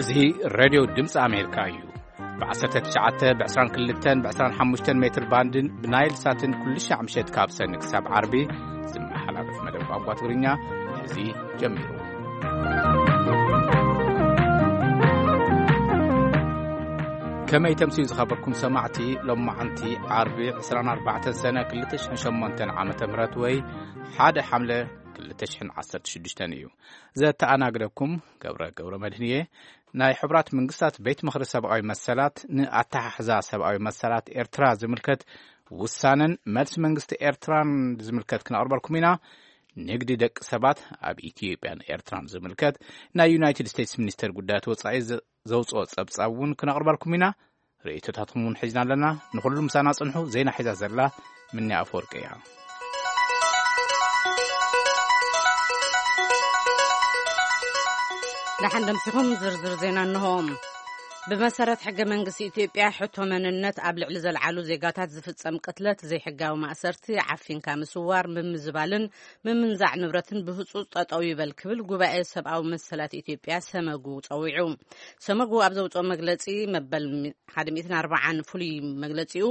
እዚ ሬድዮ ድምፂ ኣሜሪካ እዩ። ብ19፣ ብ22፣ ብ25 ሜትር ባንድን ብናይል ሳትን ኩሉ ሻዕ ምሸት ካብ ሰኒ ክሳብ ዓርቢ ዝመሓላለፍ መደብ ቋንቋ ትግርኛ እዚ ጀሚሩ። ከመይ ተምስዩ ዝኸበርኩም ሰማዕቲ፣ ሎማዓንቲ ዓርቢ 24 ሰነ 2008 ዓመተ ምህረት ወይ 1 ሓምለ 2016 እዩ። ዘተኣናግደኩም ገብረ ገብረ መድህን እየ። ናይ ሕቡራት መንግስታት ቤት ምኽሪ ሰብኣዊ መሰላት ንኣተሓሕዛ ሰብኣዊ መሰላት ኤርትራ ዝምልከት ውሳነን መልሲ መንግስቲ ኤርትራን ዝምልከት ክነቕርበልኩም ኢና። ንግዲ ደቂ ሰባት ኣብ ኢትዮጵያን ኤርትራን ዝምልከት ናይ ዩናይትድ ስቴትስ ሚኒስተር ጉዳያት ወጻኢ ዘ-፣ ዘውፅኦ ጸብጻብ እውን ክነቕርበልኩም ኢና። ርእይቶታትኩም እውን ሒዝና ኣለና። ንኹሉ ምሳና ጽንሑ። ዜና ሒዛ ዘላ ምንያ ኣፈወርቂ እያ። ደሓን ደምሲኹም ዝርዝር ዜና እንሆ። ብመሰረት ሕገ መንግስቲ ኢትዮጵያ፣ ሕቶ መንነት ኣብ ልዕሊ ዘልዓሉ ዜጋታት ዝፍጸም ቅትለት፣ ዘይሕጋዊ ማእሰርቲ፣ ዓፊንካ ምስዋር፣ ምምዝባልን ምምንዛዕ ንብረትን ብህጹጽ ጠጠው ይበል ክብል ጉባኤ ሰብኣዊ መሰላት ኢትዮጵያ ሰመጉ ጸዊዑ። ሰመጉ ኣብ ዘውጽኦ መግለጺ፣ መበል ሚ-፣ ሓደ ሚእትን ኣርባዓን ፍሉይ መግለጺኡ፣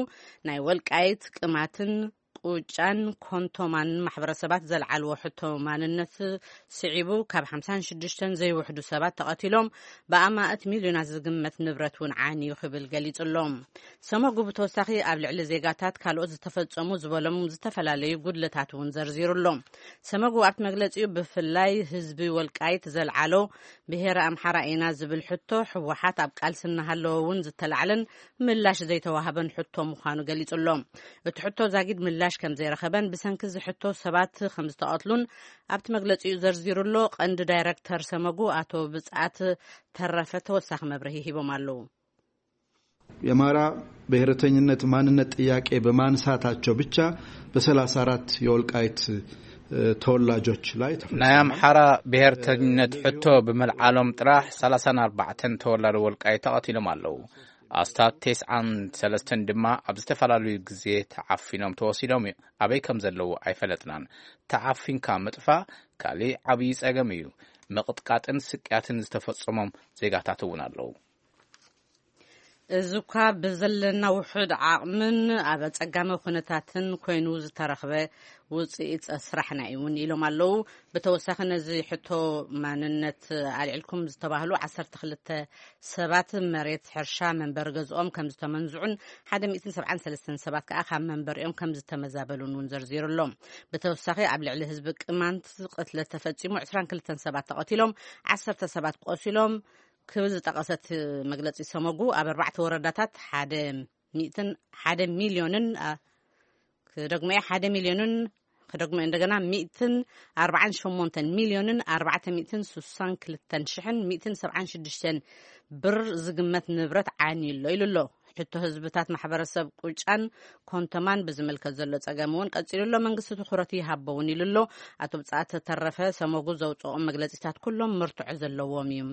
ናይ ወልቃይት፣ ቅማትን ቁጫን ኮንቶማን ማሕበረሰባት ዘልዓልዎ ሕቶ ማንነት ስዒቡ፣ ካብ ሓምሳን ሽዱሽተን ዘይውሕዱ ሰባት ተቐቲሎም፣ ብኣማእት ሚልዮናት ዝግመት ንብረት እውን ዓንዩ ክብል ገሊጹ ኣሎ። ሰመጉ ብተወሳኺ ኣብ ልዕሊ ዜጋታት ካልኦት ዝተፈጸሙ ዝበሎም ዝተፈላለዩ ጉድለታት እውን ዘርዚሩ ኣሎ። ሰመጉ ኣብቲ መግለጺኡ፣ ብፍላይ ህዝቢ ወልቃይት ዘልዓሎ ብሄረ ኣምሓራ ኢና ዝብል ሕቶ፣ ህወሓት ኣብ ቃልሲ እናሃለወ እውን ዝተላዕለን ምላሽ ዘይተዋህበን ሕቶ ምዃኑ ገሊጹ ኣሎ። እቲ ሕቶ ዛጊድ ምላሽ ከም ዘይረኸበን ብሰንኪ እዚ ሕቶ ሰባት ከም ዝተቐትሉን ኣብቲ መግለጺኡ ዘርዚሩ ኣሎ። ቀንዲ ዳይረክተር ሰመጉ ኣቶ ብጻት ተረፈ ተወሳኺ መብርሂ ሂቦም ኣለዉ። የማራ ብሔርተኝነት ማንነት ጥያቄ በማንሳታቸው ብቻ በ34 የወልቃይት፣ እ፣ ተወላጆች ላይ ተፈጸመ። ናይ ኣምሓራ ብሔርተኝነት ሕቶ ብምልዓሎም ጥራሕ 34 ተወላዲ ወልቃይት ተቐቲሎም ኣለዉ። ኣስታት 93 ድማ ኣብ ዝተፈላለዩ ግዜ ተዓፊኖም ተወሲዶም እዩ። ኣበይ ከም ዘለዉ ኣይፈለጥናን። ተዓፊንካ ምጥፋእ ካሊእ ዓብዪ ጸገም እዩ። ምቕጥቃጥን ስቅያትን ዝተፈጸሞም ዜጋታት እውን ኣለዉ። እዚ እኳ ብዘለና ውሑድ ዓቕምን ኣብ ኣጸጋሚ ኩነታትን ኮይኑ ዝተረኽበ ውጽኢት ስራሕና እዩ እውን ኢሎም ኣለዉ። ብተወሳኺ ነዚ ሕቶ ማንነት ኣልዒልኩም ዝተባህሉ ዓሰርተ ክልተ ሰባት መሬት ሕርሻ መንበሪ ገዝኦም ከም ዝተመንዝዑን ሓደ ሚእትን ሰብዓን ሰለስተን ሰባት ከኣ ካብ መንበሪኦም ከም ዝተመዛበሉን እውን ዘርዚሩ ኣሎ። ብተወሳኺ ኣብ ልዕሊ ህዝቢ ቅማንት ቅትለት ተፈጺሙ ዕስራን ክልተን ሰባት ተቐቲሎም፣ ዓሰርተ ሰባት ቆሲሎም፣ ክብል ዝጠቐሰት መግለጺ ሰመጉ፣ ኣብ ኣርባዕተ ወረዳታት ሓደ ሚእትን ሓደ ሚልዮንን፣ ኣ፣ ክደግሞ እየ፣ ሓደ ሚልዮንን፣ ክደግሞ እየ እንደገና፣ ሚእትን ኣርባዓን ሸሞንተን ሚልዮንን ኣርባዕተ ሚእትን ስሳን ክልተን ሽሕን ሚእትን ሰብዓን ሽዱሽተን ብር ዝግመት ንብረት ዓንዩ ኣሎ ኢሉ ኣሎ። ሕቶ ህዝብታት ማሕበረሰብ ቁጫን ኮንተማን ብዝምልከት ዘሎ ጸገም እውን ቀጺሉ ኣሎ። መንግስቲ ትኹረት ይሃቦ እውን ኢሉ ኣሎ። ኣቶ ብጻት ተረፈ ሰመጉ ዘውጽኦም መግለጺታት ኩሎም መርትዖ ዘለዎም እዮም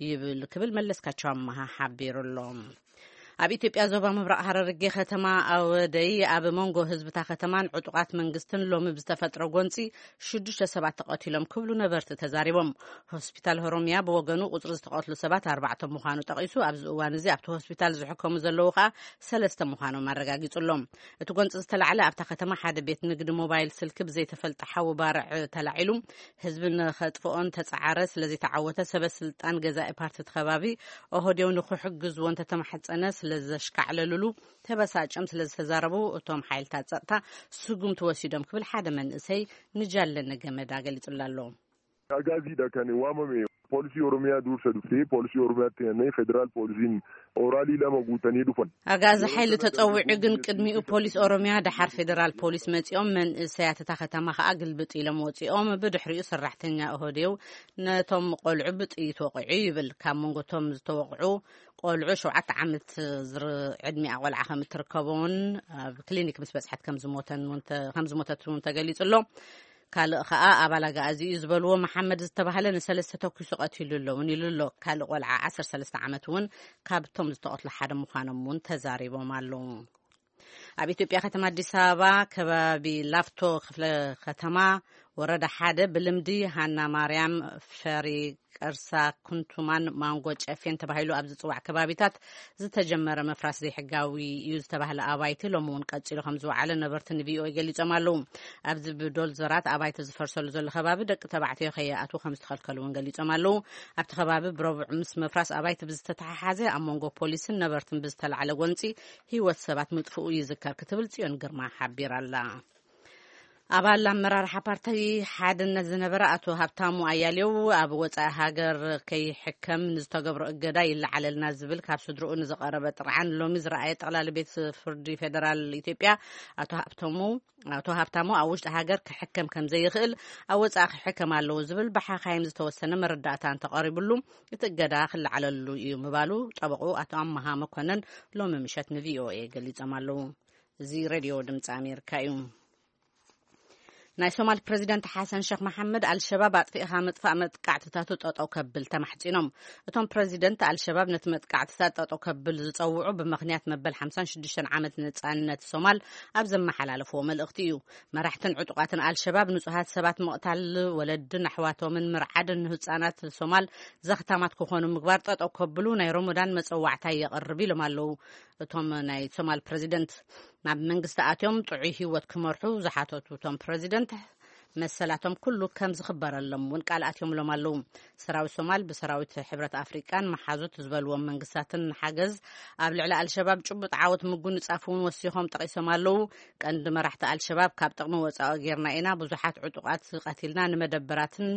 ይብል ክብል መለስካቸው ኣመሃ ሓቢሩ ኣሎ። ኣብ ኢትዮጵያ ዞባ ምብራቕ ሃረርጌ ከተማ ኣወደይ ኣብ መንጎ ህዝብታ ከተማን ዕጡቓት መንግስትን ሎሚ ብዝተፈጥረ ጎንጺ ሽዱሽተ ሰባት ተቐቲሎም ክብሉ ነበርቲ ተዛሪቦም። ሆስፒታል ሆሮሚያ ብወገኑ ቁጽሪ ዝተቐትሉ ሰባት ኣርባዕተ ምዃኑ ጠቒሱ፣ ኣብዚ እዋን እዚ ኣብቲ ሆስፒታል ዝሕከሙ ዘለዉ ከኣ ሰለስተ ምዃኖም ኣረጋጊጹ ኣሎ። እቲ ጎንጺ ዝተላዕለ ኣብታ ከተማ ሓደ ቤት ንግዲ ሞባይል ስልኪ ብዘይተፈልጠ ሓዊ ባርዕ ተላዒሉ ህዝቢ ንኸጥፍኦን ተጻዓረ ስለዘይተዓወተ ሰበ ስልጣን ገዛኢ ፓርቲ እቲ ከባቢ ኦህዴው ንኽሕግዝዎ እንተተማሕጸነ ስለዘሽካዕለሉሉ ተበሳጭም ስለዝተዛረቡ እቶም ሓይልታት ጸጥታ ስጉምቲ ወሲዶም ክብል ሓደ መንእሰይ ንጃለነ ገመዳ ገሊጹላ ኣሎ። Agaaziidha kan waamame. Poolisii Oromiyaa dursa dhuftee poolisii Oromiyaatti hennee federaal poolisiin oraalii lama guutanii dhufan. ኣጋዚ ሓይሊ ተጸዊዑ ግን ቅድሚኡ ፖሊስ ኦሮሚያ ደሓር ፌደራል ፖሊስ መጺኦም መንእሰያት እታ ከተማ ከኣ ግልብጥ ኢሎም ወጺኦም ብድሕሪኡ ሰራሕተኛ ኦህዴው ነቶም ቆልዑ ብጥይት ወቂዑ ይብል። ካብ መንጎቶም ዝተወቕዑ ቆልዑ ሸውዓተ ዓመት ዝር-፣ ዕድሚኣ ቆልዓ ከም እትርከቦን ኣብ ክሊኒክ ምስ በጽሐት ከም ዝሞተን እውን ተ-፣ ከም ዝሞተት እውን ተገሊጹ ኣሎ። ካልእ ኸኣ ኣባል ኣግኣዚ እዩ ዝበልዎ መሓመድ ዝተባህለ ንሰለስተ ተኩሱ ቀቲሉ ኣሎ እውን ኢሉ ኣሎ። ካልእ ቆልዓ ዓሰርተ ሰለስተ ዓመት እውን ካብቶም ዝተቐትሉ ሓደ ምዃኖም እውን ተዛሪቦም ኣለዉ። ኣብ ኢትዮጵያ ከተማ ኣዲስ ኣበባ ከባቢ ላፍቶ ክፍለ ከተማ ወረዳ ሓደ ብልምዲ ሃና ማርያም፣ ፈሪ፣ ቀርሳ፣ ኩንቱማን ማንጎ ጨፌን ተባሂሉ ኣብ ዝጽዋዕ ከባቢታት ዝተጀመረ ምፍራስ ዘይሕጋዊ እዩ ዝተባህለ ኣባይቲ ሎሚ እውን ቀጺሉ ከም ዝወዓለ ነበርቲ ንቪኦኤ ገሊጾም ኣለዉ። ኣብዚ ብዶልዘራት ኣባይቲ ዝፈርሰሉ ዘሎ ከባቢ ደቂ ተባዕትዮ ከይኣትዉ ከም ዝተኸልከሉ እውን ገሊጾም ኣለዉ። ኣብቲ ከባቢ ብረቡዕ ምስ ምፍራስ ኣባይቲ ብዝተተሓሓዘ ኣብ መንጎ ፖሊስን ነበርትን ብዝተላዕለ ጎንጺ ህይወት ሰባት ምጥፍኡ ይዝከር ክትብል ጽዮን ግርማ ሓቢራ ኣላ። ኣባል ኣመራርሓ ፓርቲ ሓድነት ዝነበረ ኣቶ ሃብታሙ ኣያሌው ኣብ ወጻኢ ሃገር ከይሕከም ንዝተገብሮ እገዳ ይለዓለልና ዝብል ካብ ስድርኡ ንዝቐረበ ጥርዓን ሎሚ ዝረኣየ ጠቕላሊ ቤት ፍርዲ ፌደራል ኢትዮጵያ ኣቶ ሃብታሙ ኣቶ ሃብታሙ ኣብ ውሽጢ ሃገር ክሕከም ከም ዘይኽእል ኣብ ወጻኢ ክሕከም ኣለዎ ዝብል ብሓኻይም ዝተወሰነ መረዳእታ እንተቐሪብሉ እቲ እገዳ ክለዓለሉ እዩ ምባሉ ጠበቑ ኣቶ ኣመሃ መኮነን ሎሚ ምሸት ንቪኦኤ ገሊጾም ኣለዉ። እዚ ሬድዮ ድምፂ ኣሜሪካ እዩ። ናይ ሶማል ፕሬዚደንት ሓሰን ሸክ መሓመድ ኣልሸባብ ኣጥፊእኻ ምጥፋእ መጥቃዕትታቱ ጠጠው ከብል ተማሕጺኖም። እቶም ፕሬዚደንት ኣልሸባብ ነቲ መጥቃዕትታት ጠጠው ከብል ዝጸውዑ ብምኽንያት መበል ሓምሳን ሽዱሽተን ዓመት ነጻነት ሶማል ኣብ ዘመሓላለፍዎ መልእኽቲ እዩ። መራሕትን ዕጡቓትን ኣልሸባብ ንጹሃት ሰባት ምቕታል፣ ወለድን ኣሕዋቶምን ምርዓድን ንህጻናት ሶማል ዘኽታማት ክኾኑ ምግባር ጠጠው ከብሉ ናይ ሮሞዳን መጸዋዕታ የቕርብ ኢሎም ኣለዉ። እቶም ናይ ሶማል ፕሬዚደንት ናብ መንግስቲ ኣትዮም ጥዑይ ህይወት ክመርሑ ዝሓተቱ እቶም ፕሬዚደንት መሰላቶም ኩሉ ከም ዝኽበረሎም እውን ቃል ኣትዮምሎም ኣለዉ። ሰራዊት ሶማል ብሰራዊት ሕብረት ኣፍሪቃን መሓዙት ዝበልዎም መንግስታትን ሓገዝ ኣብ ልዕሊ ኣልሸባብ ጭቡጥ ዓወት ምጉንጻፍ እውን ወሲኾም ጠቒሶም ኣለዉ። ቀንዲ መራሕቲ ኣልሸባብ ካብ ጥቕሚ ወጻኢ ጌርና ኢና፣ ብዙሓት ዕጡቓት ቀቲልና፣ ንመደበራትን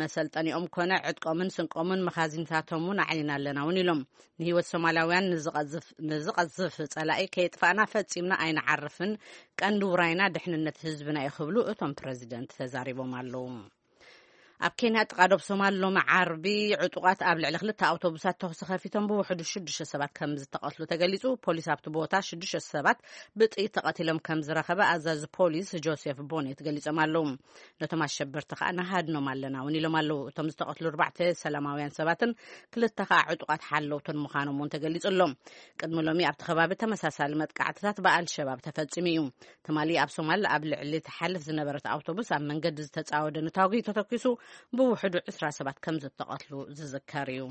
መሰልጠኒኦም ኮነ ዕጥቆምን ስንቆምን መኻዚንታቶም እውን ኣዕኒና ኣለና እውን ኢሎም። ንህይወት ሶማላውያን ንዝቐዝፍ ንዝቐዝፍ ጸላኢ ከየጥፋእና ፈጺምና ኣይንዓርፍን፣ ቀንዲ ውራይና ድሕንነት ህዝብና እዩ ክብሉ እቶም ፕረዚደንት ተዛሪቦም ኣለዉ። ኣብ ኬንያ ጥቓ ዶብ ሶማል ሎሚ ዓርቢ ዕጡቓት ኣብ ልዕሊ ክልተ ኣውቶቡሳት ተኹሲ ከፊቶም ብውሕዱ ሽዱሽተ ሰባት ከም ዝተቐትሉ ተገሊጹ። ፖሊስ ኣብቲ ቦታ ሽዱሽተ ሰባት ብጥይት ተቐቲሎም ከም ዝረኸበ ኣዛዚ ፖሊስ ጆሴፍ ቦኔት ገሊጾም ኣለዉ። ነቶም ኣሸበርቲ ከኣ ንሃድኖም ኣለና እውን ኢሎም ኣለዉ። እቶም ዝተቐትሉ ኣርባዕተ ሰላማውያን ሰባትን ክልተ ከኣ ዕጡቓት ሓለውትን ምዃኖም እውን ተገሊጹ ኣሎ። ቅድሚ ሎሚ ኣብቲ ከባቢ ተመሳሳሊ መጥቃዕትታት ብኣልሸባብ ተፈጺሙ እዩ። ትማሊ ኣብ ሶማል ኣብ ልዕሊ ትሓልፍ ዝነበረት ኣውቶቡስ ኣብ መንገዲ ዝተጻወደ ንታጉ ተተኪሱ ብውሕዱ ዕስራ ሰባት ከም ዝተቐትሉ ዝዝከር እዩ።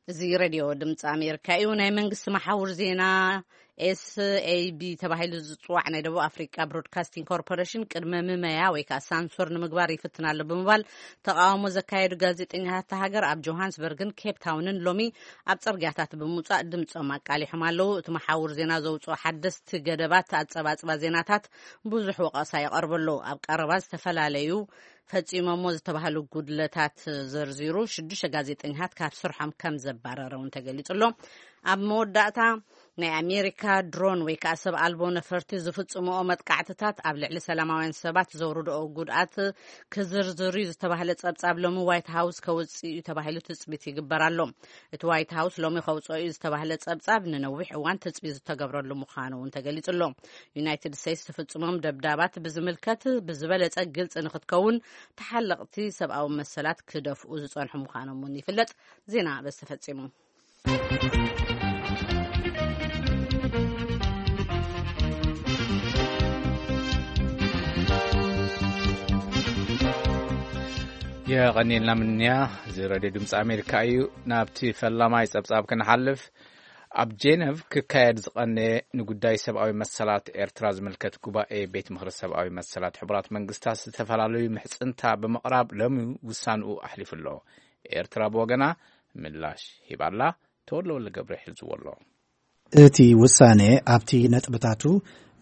እዚ ሬድዮ ድምፂ ኣሜሪካ እዩ። ናይ መንግስቲ መሓውር ዜና ኤስኤቢ ተባሂሉ ዝፅዋዕ ናይ ደቡብ ኣፍሪካ ብሮድካስቲንግ ኮርፖሬሽን ቅድመ ምመያ ወይ ከዓ ሳንሱር ንምግባር ይፍትን ኣሎ ብምባል ተቃውሞ ዘካየዱ ጋዜጠኛታት እታ ሃገር ኣብ ጆሃንስበርግን ኬፕ ታውንን ሎሚ ኣብ ፅርግያታት ብምውፃእ ድምፆም ኣቃሊሖም ኣለዉ። እቲ መሓውር ዜና ዘውፅኦ ሓደስቲ ገደባት ኣፀባፅባ ዜናታት ብዙሕ ወቀሳ ይቐርበሉ። ኣብ ቀረባ ዝተፈላለዩ ፈጺሞሞ ዝተባህሉ ጉድለታት ዘርዚሩ ሽዱሽተ ጋዜጠኛታት ካብ ስርሖም ከም ዘባረረ እውን ተገሊጹ ኣሎ። ኣብ መወዳእታ ናይ ኣሜሪካ ድሮን ወይ ከዓ ሰብ ኣልቦ ነፈርቲ ዝፍጽምኦ መጥቃዕትታት ኣብ ልዕሊ ሰላማውያን ሰባት ዘውርድኦ ጉድኣት ክዝርዝር እዩ ዝተባህለ ጸብጻብ ሎሚ ዋይት ሃውስ ከውጽእ እዩ ተባሂሉ ትጽቢት ይግበር ኣሎ። እቲ ዋይት ሃውስ ሎሚ ከውጽኦ እዩ ዝተባህለ ጸብጻብ ንነዊሕ እዋን ትጽቢት ዝተገብረሉ ምዃኑ እውን ተገሊጹ ኣሎ። ዩናይትድ ስቴትስ ትፍጽሞም ደብዳባት ብዝምልከት ብዝበለጸ ግልጺ ንክትከውን ተሓለቕቲ ሰብኣዊ መሰላት ክደፍኡ ዝጸንሑ ምዃኖም እውን ይፍለጥ። ዜና በዚ ተፈጺሙ። የቐኒልና ምንያ። እዚ ሬድዮ ድምፂ ኣሜሪካ እዩ። ናብቲ ፈላማይ ጸብጻብ ክንሓልፍ፣ ኣብ ጄነቭ ክካየድ ዝቐነየ ንጉዳይ ሰብኣዊ መሰላት ኤርትራ ዝምልከት ጉባኤ ቤት ምኽሪ ሰብኣዊ መሰላት ሕቡራት መንግስታት ዝተፈላለዩ ምሕጽንታ ብምቕራብ ሎሚ ውሳንኡ ኣሕሊፉ ኣሎ። ኤርትራ ብወገና ምላሽ ሂባላ። ተወልደ ወልደ ገብረ ሒዝዎ ኣሎ። እቲ ውሳነ ኣብቲ ነጥብታቱ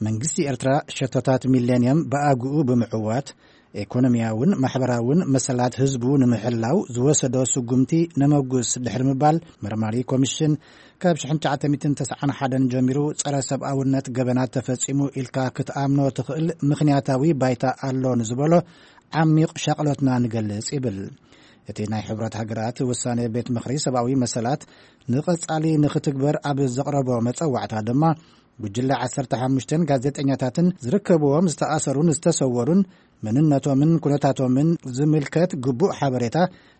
መንግስቲ ኤርትራ ሸቶታት ሚሌንየም ብኣግኡ ብምዕዋት ኤኮኖሚያውን ማሕበራውን መሰላት ህዝቡ ንምሕላው ዝወሰዶ ስጉምቲ ነመጉስ ድሕሪ ምባል፣ መርማሪ ኮሚሽን ካብ ሽሕን ትሽዓተ ሚእትን ተስዓን ሓደን ጀሚሩ ጸረ ሰብኣውነት ገበናት ተፈጺሙ ኢልካ ክትኣምኖ ትኽእል ምኽንያታዊ ባይታ ኣሎ ንዝበሎ ዓሚቕ ሻቕሎትና ንገልጽ ይብል። እቲ ናይ ሕብረት ሃገራት ውሳኔ ቤት ምኽሪ ሰብኣዊ መሰላት ንቐጻሊ ንኽትግበር ኣብ ዘቕረቦ መጸዋዕታ ድማ፣ ጉጅለ ዓሰርተ ሓሙሽተን ጋዜጠኛታትን ዝርከብዎም ዝተኣሰሩን ዝተሰወሩን መንነቶምን ኩነታቶምን ዝምልከት ግቡእ ሓበሬታ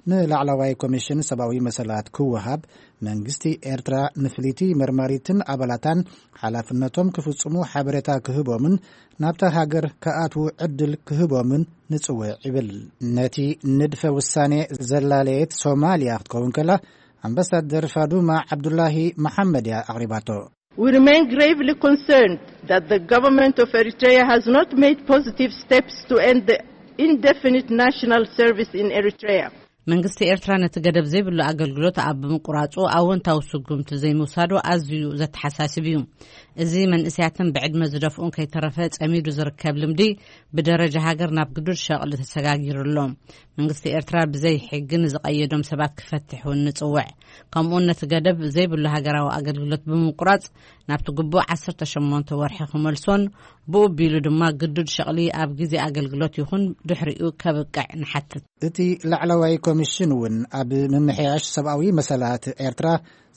ንላዕለዋይ ኮሚሽን ሰብኣዊ መሰላት ክወሃብ፣ መንግስቲ ኤርትራ ንፍልይቲ መርማሪትን ኣባላታን ሓላፍነቶም ክፍጽሙ ሓበሬታ ክህቦምን ናብታ ሃገር ክኣትዉ ዕድል ክህቦምን ንጽውዕ ይብል። ነቲ ንድፈ ውሳኔ ዘላለየት ሶማልያ ክትከውን ከላ፣ ኣምባሳደር ፋዱማ ዓብዱላሂ መሓመድ እያ ኣቕሪባቶ። We remain gravely concerned that the government of Eritrea has not made positive steps to end the indefinite national service in Eritrea. መንግስቲ ኤርትራ ነቲ ገደብ ዘይብሉ ኣገልግሎት ኣብ ምቁራጹ ኣወንታዊ ስጉምቲ ዘይምውሳዱ ኣዝዩ ዘተሓሳስብ እዩ። እዚ መንእሰያትን ብዕድመ ዝደፍኡን ከይተረፈ ጸሚዱ ዝርከብ ልምዲ ብደረጃ ሃገር ናብ ግዱድ ሸቕሊ ተሰጋጊሩ ኣሎ። መንግስቲ ኤርትራ ብዘይ ሕጊ ንዝቐየዶም ሰባት ክፈትሕ እውን ንጽውዕ። ከምኡውን ነቲ ገደብ ዘይብሉ ሃገራዊ ኣገልግሎት ብምቁራጽ ናብቲ ግቡእ ዓሰርተ ሸሞንተ ወርሒ ክመልሶን ብኡ ቢሉ ድማ ግዱድ ሸቕሊ ኣብ ግዜ ኣገልግሎት ይኹን ድሕሪኡ ከብቅዕ ንሓትት። እቲ ላዕለዋይ ኮሚሽን እውን ኣብ ምምሕያሽ ሰብኣዊ መሰላት ኤርትራ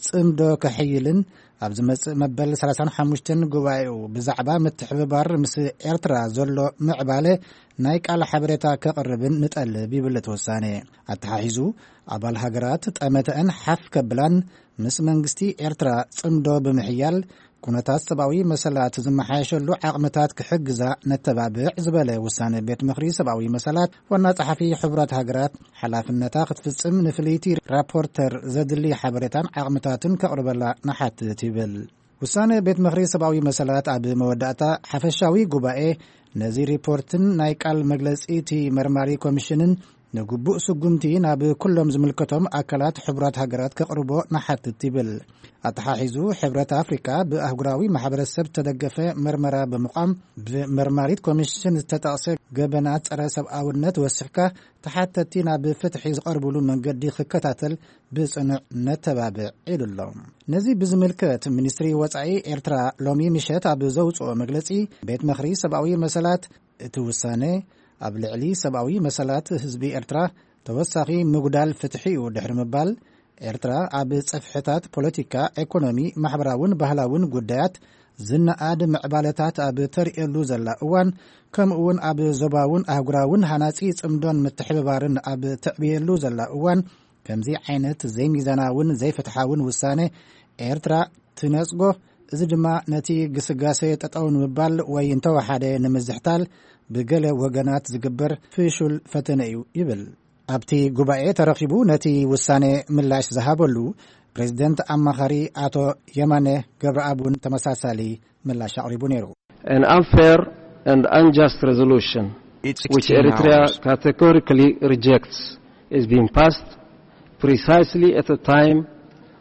ጽምዶ ከሕይልን ኣብ ዝመጽእ መበል ሰላሳን ሓሙሽተን ጉባኤኡ ብዛዕባ ምትሕብባር ምስ ኤርትራ ዘሎ ምዕባለ ናይ ቃል ሓበሬታ ከቕርብን ንጠልብ ይብል እቲ ውሳኔ። ኣተሓሒዙ ኣባል ሃገራት ጠመተአን ሓፍ ከብላን ምስ መንግስቲ ኤርትራ ጽምዶ ብምሕያል ኩነታት ሰብኣዊ መሰላት ዝመሓየሸሉ ዓቕምታት ክሕግዛ ነተባብዕ ዝበለ ውሳነ ቤት ምኽሪ ሰብኣዊ መሰላት ዋና ጸሓፊ ሕቡራት ሃገራት ሓላፍነታ ክትፍጽም ንፍልይቲ ራፖርተር ዘድሊ ሓበሬታን ዓቕምታትን ከቕርበላ ንሓትት ይብል። ውሳነ ቤት ምኽሪ ሰብኣዊ መሰላት ኣብ መወዳእታ ሓፈሻዊ ጉባኤ ነዚ ሪፖርትን ናይ ቃል መግለጺ እቲ መርማሪ ኮሚሽንን ንግቡእ ስጉምቲ ናብ ኩሎም ዝምልከቶም ኣካላት ሕቡራት ሃገራት ከቕርቦ ንሓትት ይብል። ኣተሓሒዙ ሕብረት ኣፍሪካ ብኣህጉራዊ ማሕበረሰብ ዝተደገፈ መርመራ ብምቋም ብመርማሪት ኮሚሽን ዝተጠቕሰ ገበናት ጸረ ሰብኣውነት ወሲኽካ ተሓተቲ ናብ ፍትሒ ዝቐርብሉ መንገዲ ክከታተል ብጽኑዕ ነተባብዕ ኢሉ ኣሎ። ነዚ ብዝምልከት ሚኒስትሪ ወጻኢ ኤርትራ ሎሚ ምሸት ኣብ ዘውጽኦ መግለጺ ቤት ምኽሪ ሰብኣዊ መሰላት እቲ ውሳነ ኣብ ልዕሊ ሰብኣዊ መሰላት ህዝቢ ኤርትራ ተወሳኺ ምጉዳል ፍትሒ እዩ ድሕሪ ምባል ኤርትራ ኣብ ጽፍሕታት ፖለቲካ፣ ኤኮኖሚ፣ ማሕበራውን ባህላውን ጉዳያት ዝነኣድ ምዕባለታት ኣብ ተርእየሉ ዘላ እዋን ከምኡውን ኣብ ዞባውን ኣህጉራውን ሃናጺ ጽምዶን ምትሕብባርን ኣብ ተዕብየሉ ዘላ እዋን ከምዚ ዓይነት ዘይሚዛናውን ዘይፍትሓውን ውሳነ ኤርትራ ትነጽጎ። እዚ ድማ ነቲ ግስጋሴ ጠጠው ንምባል ወይ እንተወሓደ ንምዝሕታል ብገለ ወገናት ዝግበር ፍሹል ፈተነ እዩ ይብል። ኣብቲ ጉባኤ ተረኺቡ ነቲ ውሳኔ ምላሽ ዝሃበሉ ፕሬዝደንት ኣማኻሪ ኣቶ የማነ ገብረኣብ እውን ተመሳሳሊ ምላሽ ኣቕሪቡ ነይሩ። An unfair and unjust resolution which Eritrea categorically rejects is being passed precisely at a time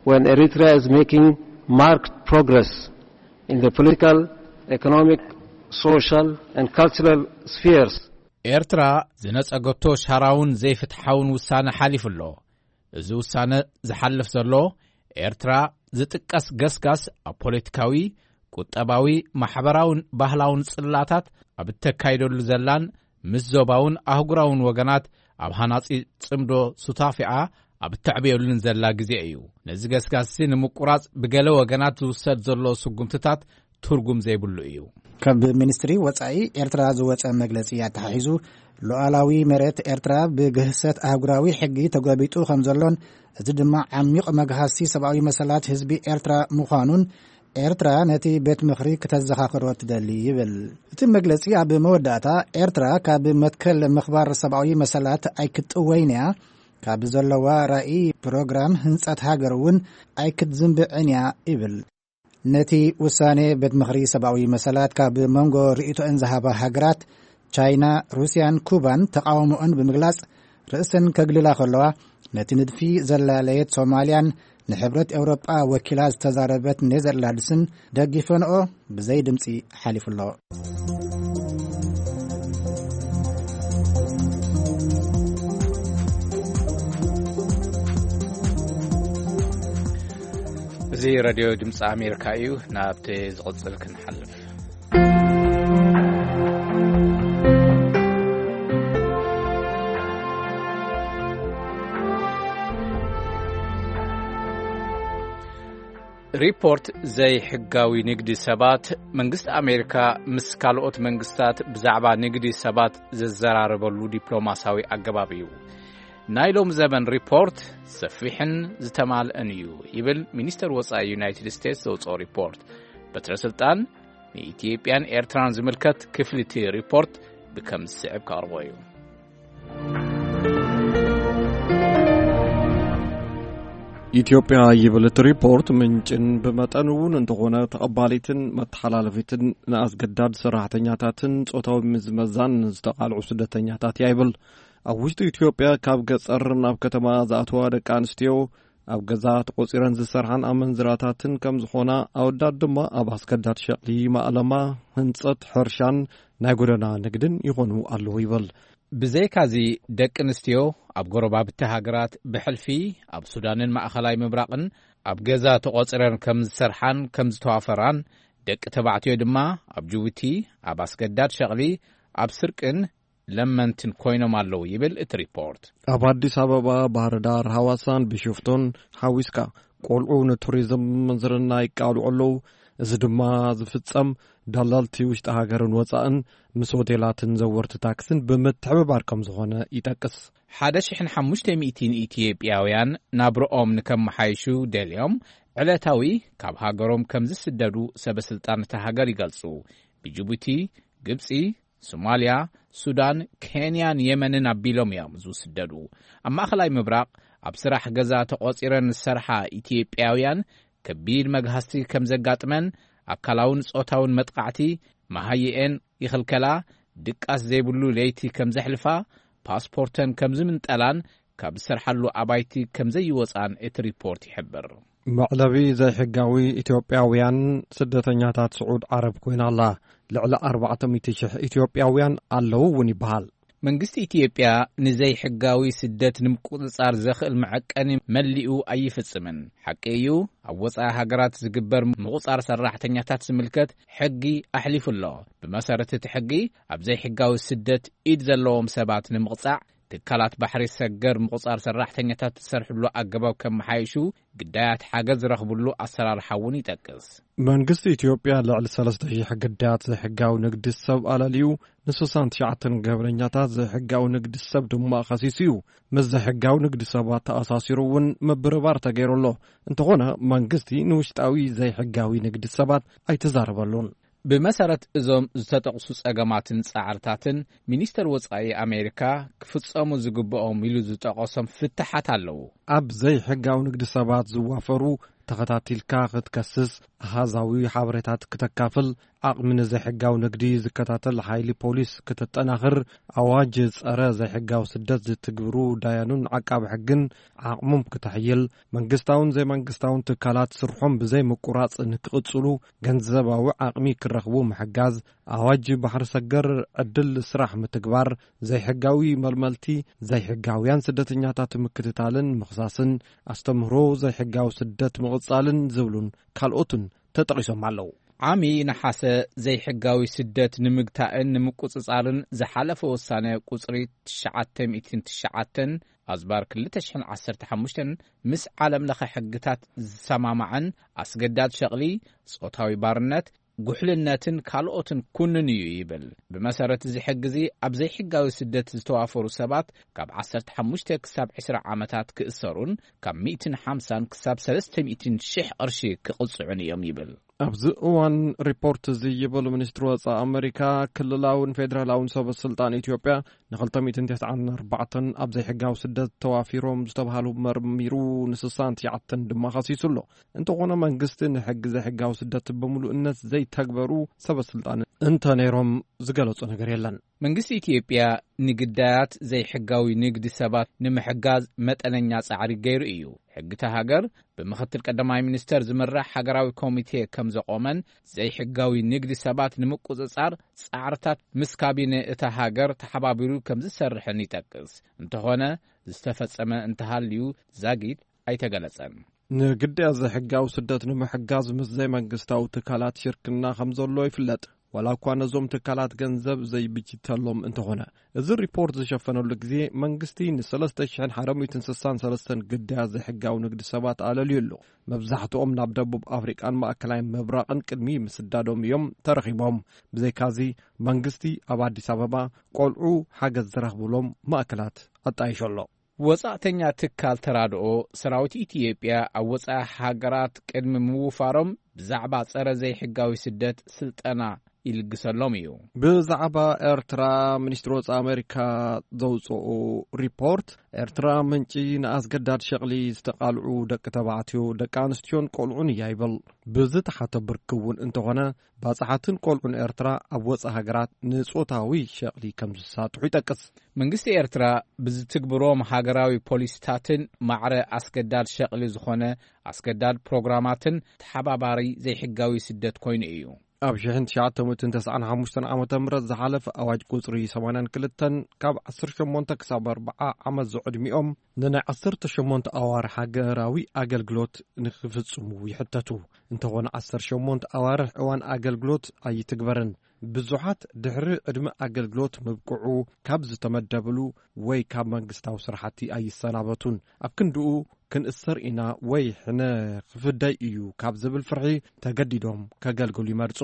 when Eritrea is making marked progress in the political, economic, social and cultural spheres. ኤርትራ ዝነጸገቶ ሻራውን ዘይፍትሓውን ውሳነ ሓሊፉ ኣሎ። እዚ ውሳነ ዝሓልፍ ዘሎ ኤርትራ ዝጥቀስ ገስጋስ ኣብ ፖለቲካዊ፣ ቁጠባዊ፣ ማሕበራውን ባህላውን ጽላታት ኣብ እተካይደሉ ዘላን ምስ ዞባውን ኣህጉራውን ወገናት ኣብ ሃናጺ ጽምዶ ሱታፊኣ ኣብ እተዕብየሉን ዘላ ግዜ እዩ። ነዚ ገስጋስሲ ንምቁራጽ ብገለ ወገናት ዝውሰድ ዘሎ ስጉምትታት ትርጉም ዘይብሉ እዩ። ካብ ሚኒስትሪ ወጻኢ ኤርትራ ዝወጸ መግለጺ ኣተሓሒዙ ሉዓላዊ መሬት ኤርትራ ብግህሰት ኣህጉራዊ ሕጊ ተጎቢጡ ከም ዘሎን እዚ ድማ ዓሚቕ መግሃሲ ሰብኣዊ መሰላት ህዝቢ ኤርትራ ምዃኑን ኤርትራ ነቲ ቤት ምኽሪ ክተዘኻኽሮ ትደሊ ይብል። እቲ መግለጺ ኣብ መወዳእታ ኤርትራ ካብ መትከል ምኽባር ሰብኣዊ መሰላት ኣይክትጥወይን እያ፣ ካብ ዘለዋ ራእይ ፕሮግራም ህንጸት ሃገር እውን ኣይክትዝንብዕን እያ ይብል። ነቲ ውሳኔ ቤት ምኽሪ ሰብኣዊ መሰላት ካብ መንጎ ርእይቶአን ዝሃባ ሃገራት ቻይና፣ ሩስያን ኩባን ተቓውሞአን ብምግላጽ ርእሰን ከግልላ ከለዋ፣ ነቲ ንድፊ ዘላለየት ሶማልያን ንሕብረት ኤውሮጳ ወኪላ ዝተዛረበት ኔዘርላንድስን ደጊፈንኦ ብዘይ ድምጺ ሓሊፉ ኣሎ። እዚ ሬድዮ ድምፂ ኣሜሪካ እዩ። ናብቲ ዝቕፅል ክንሓልፍ። ሪፖርት ዘይሕጋዊ ንግዲ ሰባት፣ መንግስቲ ኣሜሪካ ምስ ካልኦት መንግስታት ብዛዕባ ንግዲ ሰባት ዘዘራረበሉ ዲፕሎማሳዊ ኣገባብ እዩ። ናይ ሎም ዘበን ሪፖርት ሰፊሕን ዝተማልአን እዩ፣ ይብል ሚኒስተር ወጻኢ ዩናይትድ ስቴትስ ዘውጽኦ ሪፖርት። በትረ ስልጣን ንኢትዮጵያን ኤርትራን ዝምልከት ክፍሊ እቲ ሪፖርት ብከም ዝስዕብ ከቕርቦ እዩ። ኢትዮጵያ ይብል እቲ ሪፖርት፣ ምንጭን ብመጠን እውን እንተኾነ ተቐባሊትን መተሓላለፊትን ንኣስገዳድ ሰራሕተኛታትን ጾታዊ ምዝመዛን ዝተቓልዑ ስደተኛታት እያ ይብል። ኣብ ውሽጢ ኢትዮጵያ ካብ ገጸር ናብ ከተማ ዝኣተዋ ደቂ ኣንስትዮ ኣብ ገዛ ተቖጺረን ዝሰርሓን ኣመንዝራታትን ከም ዝኾና፣ ኣወዳት ድማ ኣብ ኣስገዳድ ሸቕሊ፣ ማእለማ፣ ህንጸት፣ ሕርሻን ናይ ጎደና ንግድን ይኾኑ ኣለዉ ይብል። ብዘይካዚ፣ ደቂ ኣንስትዮ ኣብ ጎረባብቲ ሃገራት ብሕልፊ ኣብ ሱዳንን ማእኸላይ ምብራቕን ኣብ ገዛ ተቖጺረን ከም ዝሰርሓን ከም ዝተዋፈራን፣ ደቂ ተባዕትዮ ድማ ኣብ ጅቡቲ ኣብ ኣስገዳድ ሸቕሊ፣ ኣብ ስርቅን ለመንትን ኮይኖም ኣለዉ ይብል እቲ ሪፖርት። ኣብ ኣዲስ ኣበባ፣ ባህር ዳር፣ ሃዋሳን ቢሾፍቶን ሓዊስካ ቆልዑ ንቱሪዝም ምንዝርና ይቃልዑ ኣለዉ። እዚ ድማ ዝፍጸም ደለልቲ ውሽጢ ሃገርን ወጻእን ምስ ሆቴላትን ዘወርቲ ታክስን ብምትሕብባር ከም ዝኾነ ይጠቅስ። ሓደ ሽሕን ሓሙሽተ ሚእትን ኢትዮጵያውያን ናብርኦም ንከመሓይሹ ደልዮም ዕለታዊ ካብ ሃገሮም ከም ዝስደዱ ሰበ ስልጣን እታ ሃገር ይገልጹ። ብጅቡቲ፣ ግብጺ፣ ሶማልያ፣ ሱዳን፣ ኬንያን የመንን ኣቢሎም እዮም ዝስደዱ። ኣብ ማእኸላይ ምብራቕ ኣብ ስራሕ ገዛ ተቖጺረን ዝሰርሓ ኢትዮጵያውያን ከቢድ መግሃስቲ ከም ዘጋጥመን፣ ኣካላውን ጾታውን መጥቓዕቲ፣ መሃይኤን ይኽልከላ፣ ድቃስ ዘይብሉ ለይቲ ከም ዘሕልፋ፣ ፓስፖርተን ከም ዝምንጠላን ካብ ዝሰርሓሉ ኣባይቲ ከም ዘይወጻን እቲ ሪፖርት ይሕብር። መዕለቢ ዘይሕጋዊ ኢትዮጵያውያን ስደተኛታት ስዑድ ዓረብ ኮይና ኣላ። ልዕሊ ኣርባዕተ ሚእቲ ሽሕ ኢትዮጵያውያን ኣለዉ እውን ይበሃል። መንግስቲ ኢትዮጵያ ንዘይሕጋዊ ስደት ንምቁጽጻር ዘኽእል መዐቀኒ መሊኡ ኣይፍጽምን። ሓቂ እዩ፣ ኣብ ወጻኢ ሃገራት ዝግበር ምቁጻር ሰራሕተኛታት ዝምልከት ሕጊ ኣሕሊፉ ኣሎ። ብመሰረት እቲ ሕጊ፣ ኣብ ዘይሕጋዊ ስደት ኢድ ዘለዎም ሰባት ንምቕጻዕ፣ ትካላት ባሕሪ ሰገር ምቁጻር ሰራሕተኛታት ዝሰርሕሉ ኣገባብ ከመሓይሹ፣ ግዳያት ሓገዝ ዝረኽብሉ ኣሰራርሓ እውን ይጠቅስ። መንግስቲ ኢትዮጵያ ልዕሊ ሰለስተ ሺሕ ግዳያት ዘይሕጋዊ ንግዲ ሰብ ኣለልዩ፣ ን ስሳን ትሽዓተን ገበነኛታት ዘይሕጋዊ ንግዲ ሰብ ድማ ከሲሱ እዩ። ምስ ዘይሕጋዊ ንግዲ ሰባት ተኣሳሲሩ እውን ምብርባር ተገይሩ ኣሎ። እንተኾነ መንግስቲ ንውሽጣዊ ዘይሕጋዊ ንግዲ ሰባት ኣይተዛረበሉን። ብመሰረት እዞም ዝተጠቕሱ ጸገማትን ጻዕርታትን፣ ሚኒስተር ወጻኢ ኣሜሪካ ክፍጸሙ ዝግብኦም ኢሉ ዝጠቐሶም ፍትሓት ኣለዉ። ኣብ ዘይሕጋዊ ንግዲ ሰባት ዝዋፈሩ ተኸታቲልካ ክትከስስ፣ ኣሃዛዊ ሓበሬታት ክተካፍል፣ ዓቕሚ ንዘይሕጋዊ ንግዲ ዝከታተል ሓይሊ ፖሊስ ክተጠናኽር፣ ኣዋጅ ጸረ ዘይሕጋዊ ስደት ዝትግብሩ ዳያኑን ዓቃቢ ሕግን ዓቕሞም ክተሕይል፣ መንግስታውን ዘይመንግስታውን ትካላት ስርሖም ብዘይ ምቁራጽ ንክቕጽሉ ገንዘባዊ ዓቕሚ ክረኽቡ ምሕጋዝ፣ ኣዋጅ ባሕሪ ሰገር ዕድል ስራሕ ምትግባር፣ ዘይሕጋዊ መልመልቲ፣ ዘይሕጋውያን ስደተኛታት ምክትታልን ምኽሳስን፣ ኣስተምህሮ ዘይሕጋዊ ስደት ምቕጻልን ዝብሉን ካልኦትን ተጠቒሶም ኣለዉ። ዓሚ ነሓሰ ዘይሕጋዊ ስደት ንምግታእን ንምቁጽጻርን ዝሓለፈ ውሳነ ቁጽሪ ትሽዓተ ሚእትን ትሽዓተን ኣዝባር ክልተ ሽሕን ዓሰርተ ሓሙሽተን ምስ ዓለም ለኸ ሕግታት ዝሰማማዕን ኣስገዳድ ሸቕሊ፣ ጾታዊ ባርነት፣ ጉሕልነትን ካልኦትን ኩንን እዩ ይብል። ብመሰረት እዚ ሕጊ እዚ ኣብ ዘይሕጋዊ ስደት ዝተዋፈሩ ሰባት ካብ ዓሰርተ ሓሙሽተ ክሳብ ዕስራ ዓመታት ክእሰሩን ካብ ሚእትን ሓምሳን ክሳብ ሰለስተ ሚእትን ሽሕ ቅርሺ ክቕጽዑን እዮም ይብል። ኣብዚ እዋን ሪፖርት እዚ ይብል ሚኒስትሪ ወጻኢ ኣመሪካ፣ ክልላውን ፌደራላውን ሰበ ስልጣን ኢትዮጵያ ንክልተ ሚእትን ተስዓን ኣርባዕተን ኣብ ዘይሕጋዊ ስደት ተዋፊሮም ዝተባሃሉ መርሚሩ ንስሳን ትሽዓተን ድማ ከሲሱ ኣሎ። እንተኾነ መንግስቲ ንሕጊ ዘይሕጋዊ ስደት ብምሉእነት ዘይተግበሩ ሰበ ስልጣን እንተ ነይሮም ዝገለጾ ነገር የለን። መንግስቲ ኢትዮጵያ ንግዳያት ዘይሕጋዊ ንግዲ ሰባት ንምሕጋዝ መጠነኛ ጻዕሪ ገይሩ እዩ። ሕጊ እታ ሃገር ብምኽትል ቀዳማይ ሚኒስተር ዝምራሕ ሃገራዊ ኮሚቴ ከም ዘቖመን ዘይሕጋዊ ንግዲ ሰባት ንምቁጽጻር ጻዕርታት ምስ ካቢነ እታ ሃገር ተሓባቢሩ ከም ዝሰርሕን ይጠቅስ። እንተኾነ ዝተፈጸመ እንተሃልዩ ዛጊት ኣይተገለጸን። ንግዳያት ዘይሕጋዊ ስደት ንምሕጋዝ ምስ ዘይመንግስታዊ ትካላት ሽርክና ከም ዘሎ ይፍለጥ። ዋላ እኳ ነዞም ትካላት ገንዘብ ዘይብጅተሎም እንተኾነ። እዚ ሪፖርት ዝሸፈነሉ ግዜ መንግስቲ ን ሰለስተ ሽሕን ሓሙሽተ ሚእትን ስሳን ሰለስተን ግዳያት ዘይሕጋዊ ንግዲ ሰባት ኣለልዩ ኣሎ። መብዛሕትኦም ናብ ደቡብ ኣፍሪቃን ማእከላይ ምብራቕን ቅድሚ ምስዳዶም እዮም ተረኺቦም። ብዘይካዚ መንግስቲ ኣብ ኣዲስ ኣበባ ቆልዑ ሓገዝ ዝረኽብሎም ማእከላት ኣጣይሾ ኣሎ። ወጻእተኛ ትካል ተራድኦ ሰራዊት ኢትዮጵያ ኣብ ወጻኢ ሃገራት ቅድሚ ምውፋሮም ብዛዕባ ጸረ ዘይሕጋዊ ስደት ስልጠና ይልግሰሎም እዩ። ብዛዕባ ኤርትራ፣ ሚኒስትሪ ወጻኢ ኣሜሪካ ዘውጽኦ ሪፖርት፣ ኤርትራ ምንጪ ንኣስገዳድ ሸቕሊ ዝተቓልዑ ደቂ ተባዕትዮ፣ ደቂ ኣንስትዮን ቆልዑን እያ ይብል። ብዝተሓተ ብርኪ እውን እንተኾነ፣ ባጽሓትን ቆልዑን ኤርትራ ኣብ ወጻኢ ሃገራት ንጾታዊ ሸቕሊ ከም ዝሳጥሑ ይጠቅስ። መንግስቲ ኤርትራ ብዝትግብሮም ሃገራዊ ፖሊሲታትን ማዕረ ኣስገዳድ ሸቕሊ ዝኾነ ኣስገዳድ ፕሮግራማትን ተሓባባሪ ዘይሕጋዊ ስደት ኮይኑ እዩ። ኣብ ሽሕን ትሽዓተ ሚእትን ተስዓን ሓሙሽተን ዓመተ ምህረት ዝሓለፈ ኣዋጅ ቁጽሪ ሰማንያን ክልተን ካብ ዓሰርተ ሸሞንተ ክሳብ ኣርብዓ ዓመት ዝዕድሚኦም ንናይ ዓሰርተ ሸሞንተ ኣዋርሕ ሃገራዊ ኣገልግሎት ንኽፍጽሙ ይሕተቱ። እንተኾነ ዓሰርተ ሸሞንተ ኣዋርሕ እዋን ኣገልግሎት ኣይትግበርን። ብዙሓት ድሕሪ ዕድመ ኣገልግሎት ምብቅዑ ካብ ዝተመደብሉ ወይ ካብ መንግስታዊ ስራሕቲ ኣይሰናበቱን። ኣብ ክንድኡ ክንእሰር ኢና ወይ ሕነ ክፍደይ እዩ ካብ ዝብል ፍርሒ ተገዲዶም ከገልግሉ ይመርጹ።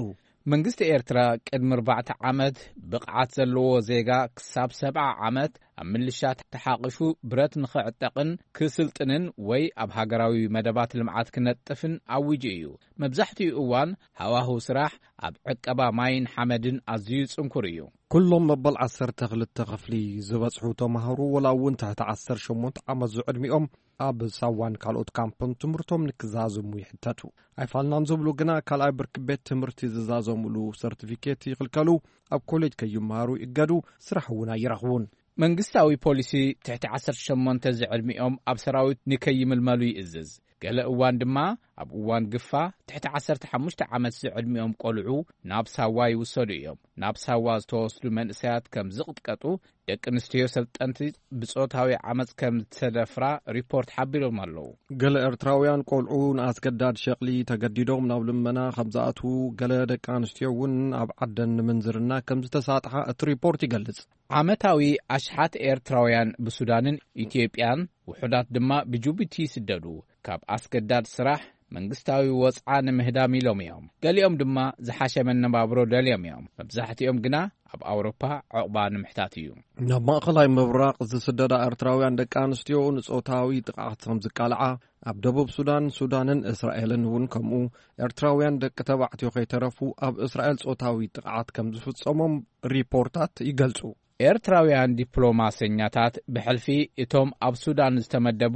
መንግስቲ ኤርትራ ቅድሚ ኣርባዕተ ዓመት ብቕዓት ዘለዎ ዜጋ ክሳብ ሰብዓ ዓመት ኣብ ምልሻ ተሓቒፉ ብረት ንኽዕጠቕን ክስልጥንን ወይ ኣብ ሃገራዊ መደባት ልምዓት ክነጥፍን ኣዊጁ እዩ። መብዛሕትኡ እዋን ሃዋህው ስራሕ ኣብ ዕቀባ ማይን ሓመድን ኣዝዩ ጽንኩር እዩ። ኩሎም መበል ዓሰርተ ክልተ ክፍሊ ዝበጽሑ ተማሃሮ፣ ወላ እውን ትሕቲ ዓሰርተ ሸሞንተ ዓመት ዝዕድሚኦም፣ ኣብ ሳዋን ካልኦት ካምፕን ትምህርቶም ንክዛዘሙ ይሕተቱ። ኣይፋልናን ዝብሉ ግና ካልኣይ ብርኪ ቤት ትምህርቲ ዝዛዘሙሉ ሰርቲፊኬት ይኽልከሉ፣ ኣብ ኮሌጅ ከይመሃሩ ይእገዱ፣ ስራሕ እውን ኣይረኽቡን። መንግስታዊ ፖሊሲ ትሕቲ ዓሰርተ ሸሞንተ ዝዕድሚኦም ኣብ ሰራዊት ንከይምልመሉ ይእዝዝ። ገለ እዋን ድማ ኣብ እዋን ግፋ ትሕቲ ዓሰርተ ሓሙሽተ ዓመት ዝዕድሚኦም ቆልዑ ናብ ሳዋ ይውሰዱ እዮም። ናብ ሳዋ ዝተወስዱ መንእሰያት ከም ዝቕጥቀጡ፣ ደቂ ኣንስትዮ ሰልጠንቲ ብጾታዊ ዓመጽ ከም ዝተደፍራ ሪፖርት ሓቢሮም ኣለዉ። ገለ ኤርትራውያን ቆልዑ ንኣስገዳድ ሸቕሊ ተገዲዶም ናብ ልመና ከም ዝኣትዉ፣ ገለ ደቂ ኣንስትዮ እውን ኣብ ዓደን ንምንዝርና ከም ዝተሳጥሓ እቲ ሪፖርት ይገልጽ። ዓመታዊ ኣሽሓት ኤርትራውያን ብሱዳንን ኢትዮጵያን፣ ውሑዳት ድማ ብጅቡቲ ይስደዱ። ካብ ኣስገዳድ ስራሕ መንግስታዊ ወጽዓ ንምህዳም ኢሎም እዮም። ገሊኦም ድማ ዝሓሸ መነባብሮ ደልዮም እዮም። መብዛሕትኦም ግና ኣብ ኣውሮፓ ዕቑባ ንምሕታት እዩ። ናብ ማእኸላይ ምብራቕ ዝስደዳ ኤርትራውያን ደቂ ኣንስትዮ ንጾታዊ ጥቕዓት ከም ዝቃልዓ፣ ኣብ ደቡብ ሱዳን፣ ሱዳንን እስራኤልን እውን ከምኡ፣ ኤርትራውያን ደቂ ተባዕትዮ ከይተረፉ ኣብ እስራኤል ጾታዊ ጥቕዓት ከም ዝፍጸሞም ሪፖርታት ይገልጹ። ኤርትራውያን ዲፕሎማሰኛታት ብሕልፊ እቶም ኣብ ሱዳን ዝተመደቡ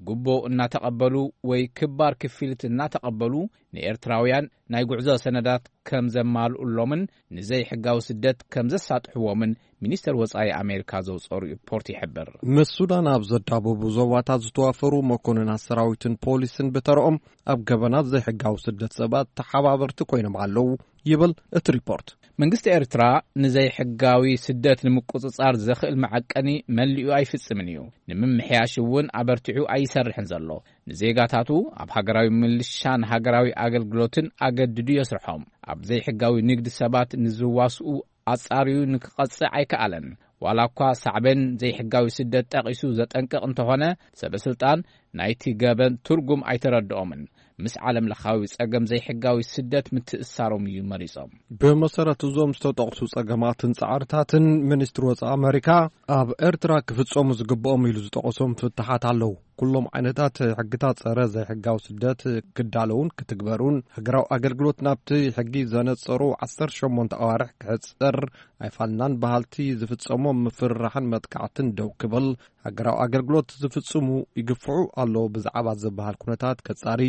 ጉቦ እናተቐበሉ ወይ ክባር ክፍሊት እናተቐበሉ ንኤርትራውያን ናይ ጉዕዞ ሰነዳት ከም ዘማልኡሎምን ንዘይሕጋዊ ስደት ከም ዘሳጥሕዎምን ሚኒስተር ወጻኢ ኣሜሪካ ዘውጽኦ ሪፖርት ይሕብር። ምስ ሱዳን ኣብ ዘዳበቡ ዞባታት ዝተዋፈሩ መኮንናት ሰራዊትን ፖሊስን ብተረኦም ኣብ ገበናት ዘይሕጋዊ ስደት ሰባት ተሓባበርቲ ኮይኖም ኣለዉ ይብል እቲ ሪፖርት። መንግስቲ ኤርትራ ንዘይሕጋዊ ስደት ንምቁጽጻር ዘኽእል መዐቀኒ መሊኡ ኣይፍጽምን እዩ። ንምምሕያሽ እውን ኣበርቲዑ ኣይሰርሕን ዘሎ። ንዜጋታቱ ኣብ ሃገራዊ ምልሻን ሃገራዊ ኣገልግሎትን ኣገድዱ የስርሖም። ኣብ ዘይሕጋዊ ንግዲ ሰባት ንዝዋስኡ ኣጻርዩ ንክቐጽዕ ኣይከኣለን። ዋላ እኳ ሳዕቤን ዘይሕጋዊ ስደት ጠቒሱ ዘጠንቅቕ እንተኾነ፣ ሰበ ስልጣን ናይቲ ገበን ትርጉም ኣይተረድኦምን። ምስ ዓለም ለኻዊ ጸገም ዘይሕጋዊ ስደት ምትእሳሮም እዩ መሪጾም። ብመሰረት እዞም ዝተጠቕሱ ጸገማትን ጻዕርታትን፣ ሚኒስትሪ ወጻኢ ኣመሪካ ኣብ ኤርትራ ክፍጸሙ ዝግብኦም ኢሉ ዝጠቐሶም ፍትሓት ኣለዉ። ኩሎም ዓይነታት ሕግታት ጸረ ዘይሕጋዊ ስደት ክዳለዉን ክትግበሩን፣ ሃገራዊ ኣገልግሎት ናብቲ ሕጊ ዘነጸሩ ዓሰርተ ሸሞንተ ኣዋርሕ ክሕጸር ኣይፋልናን፣ በሃልቲ ዝፍጸሞም ምፍርራሕን መጥቃዕትን ደው ክብል፣ ሃገራዊ ኣገልግሎት ዝፍጽሙ ይግፍዑ ኣለዉ ብዛዕባ ዝበሃል ኩነታት ከጻሪ፣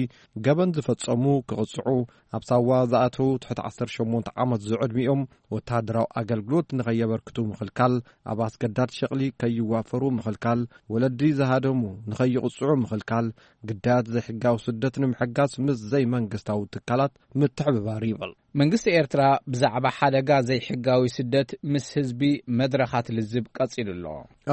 ገበን ዝፈጸሙ ክቕጽዑ፣ ኣብ ሳዋ ዝኣተዉ ትሕቲ ዓሰርተ ሸሞንተ ዓመት ዝዕድሚኦም ወተሃደራዊ ኣገልግሎት ንኸየበርክቱ ምኽልካል፣ ኣብ ኣስገዳድ ሸቕሊ ከይዋፈሩ ምኽልካል፣ ወለዲ ዝሃደሙ ንኸይቕጽዑ ምኽልካል፣ ግዳያት ዘይሕጋዊ ስደት ንምሕጋዝ ምስ ዘይመንግስታዊ ትካላት ምትሕብባር ይብል። መንግስቲ ኤርትራ ብዛዕባ ሓደጋ ዘይሕጋዊ ስደት ምስ ህዝቢ መድረኻት ልዝብ ቀጺሉ ኣሎ።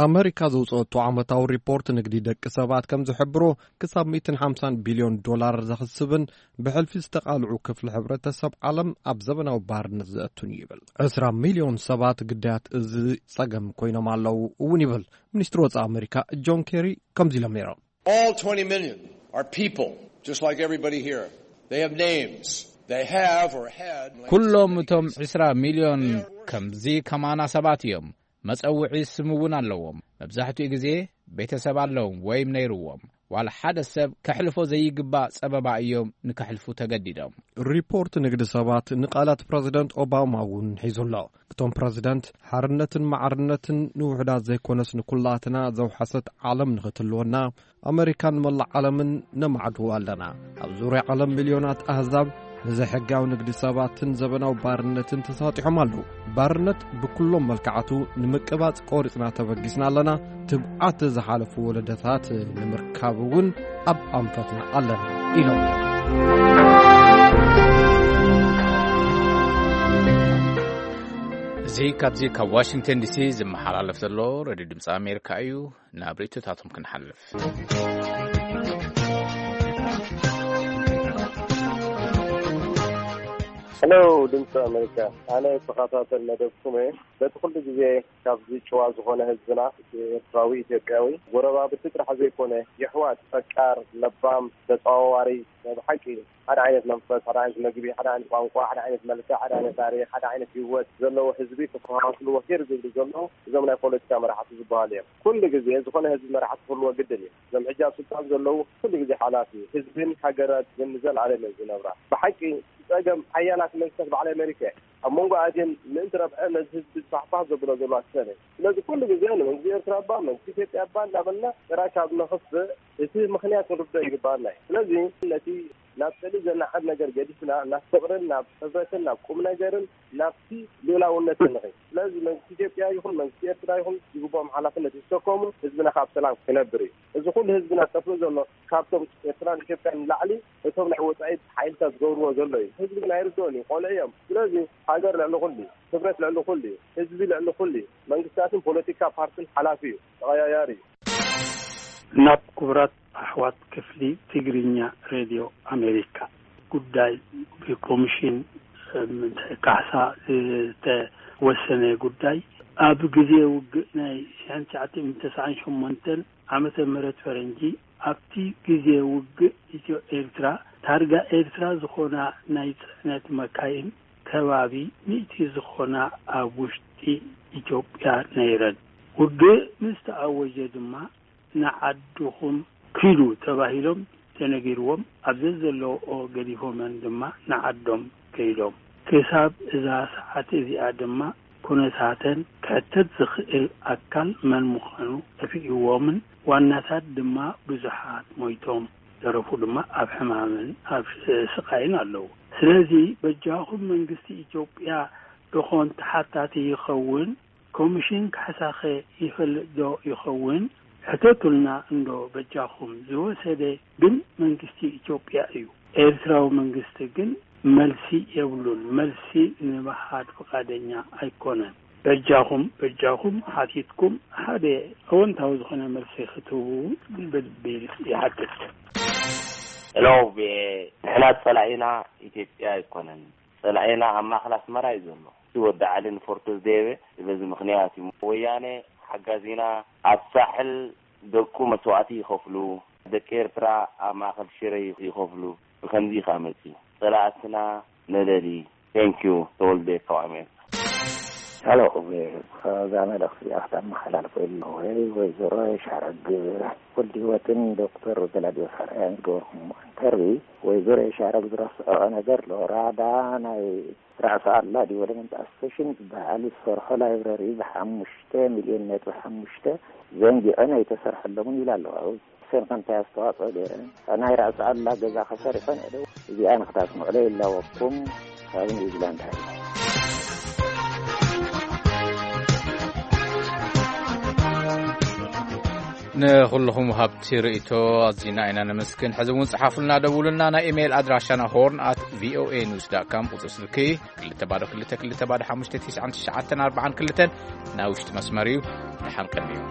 ኣመሪካ ዘውጽኦቶ ዓመታዊ ሪፖርት ንግዲ ደቂ ሰባት ከም ዝሕብሮ፣ ክሳብ ሚእትን ሓምሳን ቢልዮን ዶላር ዘኽስብን ብሕልፊ ዝተቓልዑ ክፍሊ ሕብረተሰብ ዓለም ኣብ ዘበናዊ ባርነት ዘእቱን ይብል። ዕስራ ሚልዮን ሰባት ግዳያት እዚ ጸገም ኮይኖም ኣለዉ እውን ይብል። ሚኒስትሪ ወጻኢ ኣመሪካ ጆን ኬሪ ከምዚ ኢሎም ነይሮም። All twenty million are people, just like everybody here. They have names. They have or had. ኩሎም እቶም ዕስራ ሚልዮን ከምዚ ከማና ሰባት እዮም። መጸውዒ ስም እውን ኣለዎም። መብዛሕትኡ ግዜ ቤተሰብ ኣለዎም ወይም ነይርዎም። ዋላ ሓደ ሰብ ከሕልፎ ዘይግባእ ጸበባ እዮም ንከሕልፉ ተገዲዶም። ሪፖርት ንግዲ ሰባት ንቃላት ፕረዚደንት ኦባማ እውን ሒዙ ኣሎ። እቶም ፕረዚደንት ሓርነትን ማዕርነትን ንውሑዳት ዘይኮነስ ንኩላትና ዘውሓሰት ዓለም ንኽትልወና ኣመሪካን መላእ ዓለምን ነማዕድዎ ኣለና። ኣብ ዙርያ ዓለም ሚልዮናት ኣህዛብ ንዘይሕጋዊ ንግዲ ሰባትን ዘበናዊ ባርነትን ተሳጢሖም ኣለዉ። ባርነት ብኩሎም መልክዓቱ ንምቅባጽ ቆሪጽና ተበጊስና ኣለና። ትብዓት ዝሓለፉ ወለደታት ንምርካብ እውን ኣብ ኣንፈትና ኣለና ኢሎም። እዚ ካብዚ ካብ ዋሽንግተን ዲሲ ዝመሓላለፍ ዘሎ ሬድዮ ድምፂ ኣሜሪካ እዩ። ናብ ርእይቶታቶም ክንሓልፍ። ሄሎ ድምፂ ኣሜሪካ፣ ኣነ ተኸታተል መደብኩም እየ። በቲ ኩሉ ግዜ ካብዚ ጭዋ ዝኾነ ህዝብና፣ ኤርትራዊ ኢትዮጵያዊ፣ ጎረባብቲ ጥራሕ ዘይኮነ፣ የሕዋት፣ ፈቃር፣ ለባም፣ ተጸዋዋሪ፣ ናይ ብሓቂ ሓደ ዓይነት መንፈስ፣ ሓደ ዓይነት መግቢ፣ ሓደ ዓይነት ቋንቋ፣ ሓደ ዓይነት መልክዕ፣ ሓደ ዓይነት ታሪኽ፣ ሓደ ዓይነት ህይወት ዘለዎ ህዝቢ ክተኸኻኽልዎ ሂር ዝብሉ ዘለዉ እዞም ናይ ፖለቲካ መራሕቲ ዝበሃሉ እዮም። ኩሉ ግዜ ዝኾነ ህዝቢ መራሕቲ ክህልዎ ግድን እዩ። እዞም ሕጂ ኣብ ስልጣን ዘለዉ ኩሉ ግዜ ሓላፊ እዩ። ህዝብን ሃገራትን ንዘለኣለም እዮም ዝነብራ። ብሓቂ ጸገም ሓያላት መንግስታት በዓል ኣሜሪካ እየን። ኣብ መንጎ ኣድየን ምእንቲ ረብሐ ነዚ ህዝቢ ዝፋሕፋሕ ዘብሎ ዘለዋ ትሰነ። ስለዚ ኩሉ ግዜ ንመንግስቲ ኤርትራ እባ መንግስቲ ኢትዮጵያ እባ እንዳበልና ጥራይ ካብ ነኽፍእ እቲ ምኽንያት ክንርድኦ ይግባኣና እዩ። ስለዚ ነቲ ናብ ጽልኢ ዘናዕብ ነገር ገዲፍና ናብ ፍቕርን ናብ ሕብረትን ናብ ቁም ነገርን ናብቲ ልኡላውነትን ንኸይድ። ስለዚ መንግስቲ ኢትዮጵያ ይኹን መንግስቲ ኤርትራ ይኹን ዝግብኦም ሓላፍነት ይሰከሙ፣ ህዝብና ካብ ሰላም ክነብር እዩ። እዚ ኩሉ ህዝብና ዝኸፍሎ ዘሎ ካብቶም ኤርትራን ኢትዮጵያን ንላዕሊ እቶም ናይ ወጻኢ ሓይልታት ዝገብርዎ ዘሎ እዩ። ህዝቢ ግን ኣይርድኦን እዩ፣ ቆልዑ እዮም። ስለዚ ሃገር ልዕሊ ኩሉ እዩ፣ ክብረት ልዕሊ ኩሉ እዩ፣ ህዝቢ ልዕሊ ኩሉ እዩ። መንግስታትን ፖለቲካ ፓርትን ሓላፊ እዩ፣ ተቐያያሪ እዩ። ናብ ክቡራት ኣሕዋት ክፍሊ ትግርኛ ሬድዮ ኣሜሪካ፣ ጉዳይ ብኮሚሽን ካሕሳ ዝተወሰነ ጉዳይ፣ ኣብ ግዜ ውግእ ናይ ሽሕን ትሽዓተ ሚእትን ተስዓን ሸሞንተን ዓመተ ምህረት ፈረንጂ፣ ኣብቲ ግዜ ውግእ ኢትዮ ኤርትራ፣ ታርጋ ኤርትራ ዝኾና ናይ ጽዕነት መካይን ከባቢ ሚእቲ ዝኾና ኣብ ውሽጢ ኢትዮጵያ ነይረን። ውግእ ምስ ተኣወጀ ድማ ንዓድኹም ኪዱ ተባሂሎም ተነጊርዎም፣ ኣብ ዘዘለውኦ ገዲፎመን ድማ ንዓዶም ከይዶም። ክሳብ እዛ ሰዓት እዚኣ ድማ ኩነታተን ክሕተት ዝኽእል ኣካል መን ምዃኑ ጠፊእዎምን ዋናታት ድማ ብዙሓት ሞይቶም፣ ዝተረፉ ድማ ኣብ ሕማምን ኣብ ስቓይን ኣለዉ። ስለዚ በጃኹም መንግስቲ ኢትዮጵያ ዶኾን ተሓታቲ ይኸውን? ኮሚሽን ካሕሳኸ ይፈልጥ ዶ ይኸውን? ሕተቱልና እንዶ በጃኹም። ዝወሰደ ግን መንግስቲ ኢትዮጵያ እዩ። ኤርትራዊ መንግስቲ ግን መልሲ የብሉን። መልሲ ንምሃብ ፍቓደኛ ኣይኮነን። በጃኹም በጃኹም ሓቲትኩም ሓደ ኣወንታዊ ዝኾነ መልሲ ክትህቡ ብልቢ ይሓትት። ሄሎ ቪኦኤ፣ ንሕና ጸላኢና ኢትዮጵያ ኣይኮነን፣ ጸላኢና ኣብ ማእኸል ኣስመራ እዩ ዘሎ። እቲ ወዲ ዓሊ ንፎርቶ ዝደየበ በዚ ምኽንያት እዩ። ወያነ ሓጋዚና ኣብ ሳሕል ደቁ መስዋእቲ ይኸፍሉ፣ ደቂ ኤርትራ ኣብ ማእኸል ሽረ ይኸፍሉ። ብኸምዚ እዩ ከኣ መጺኡ። ጸላእትና ነለሊ። Thank you ተወልደ ካብ ኣሜሪካ። ሄሎ ኦቤ፣ እዛ መልእኽቲ እዚኣ ክተመሓላልፎ ኢለ ወይ ወይዘሮ የሻረግ ወልድህይወትን ዶክተር ገላዲዮስ ኣርኣያን ዝገበርኩሞ ኢንተርቪ፣ ወይዘሮ የሻረግ ዝረስዐኦ ነገር ኣሎ። ራዳ ናይ ራእሲ ኣላ ዲቨሎፕመንት ኣሶሴሽን ዝበሃል ዝሰርሖ ላይብረሪ ብሓሙሽተ ሚልዮን ነጥቢ ሓሙሽተ ዘንጊዐን ኣይተሰርሐሎምን ይብላ ኣለዋ። ሰን ከምታይ ኣስተዋፅኦ ገይረን ናይ ራእሲ ኣላ ገዛ ከሰሪሐን እደው እዚኣ ንክታስምዕሎ ይላወኩም ካብ ኒውዚላንድ ሃይ። ንኹልኹም ሃብቲ ርእይቶ ኣዚና ኢና ነመስግን። ሕዚ እውን ጸሓፉልና፣ ደውሉና። ናይ ኢሜይል ኣድራሻና ሆርን ኣት ቪኦኤ ኒውስ ዳት ካም፣ ቁጽሪ ስልኪ ክልተ ባዶ ክልተ ክልተ ባዶ ሓሙሽተ ትሽዓን ትሽዓተን ኣርባዓን ክልተን፣ ናይ ውሽጢ መስመር እዩ። ደሓን ቀንዩ።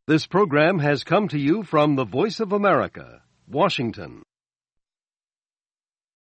This program has come to you from the Voice of America, Washington.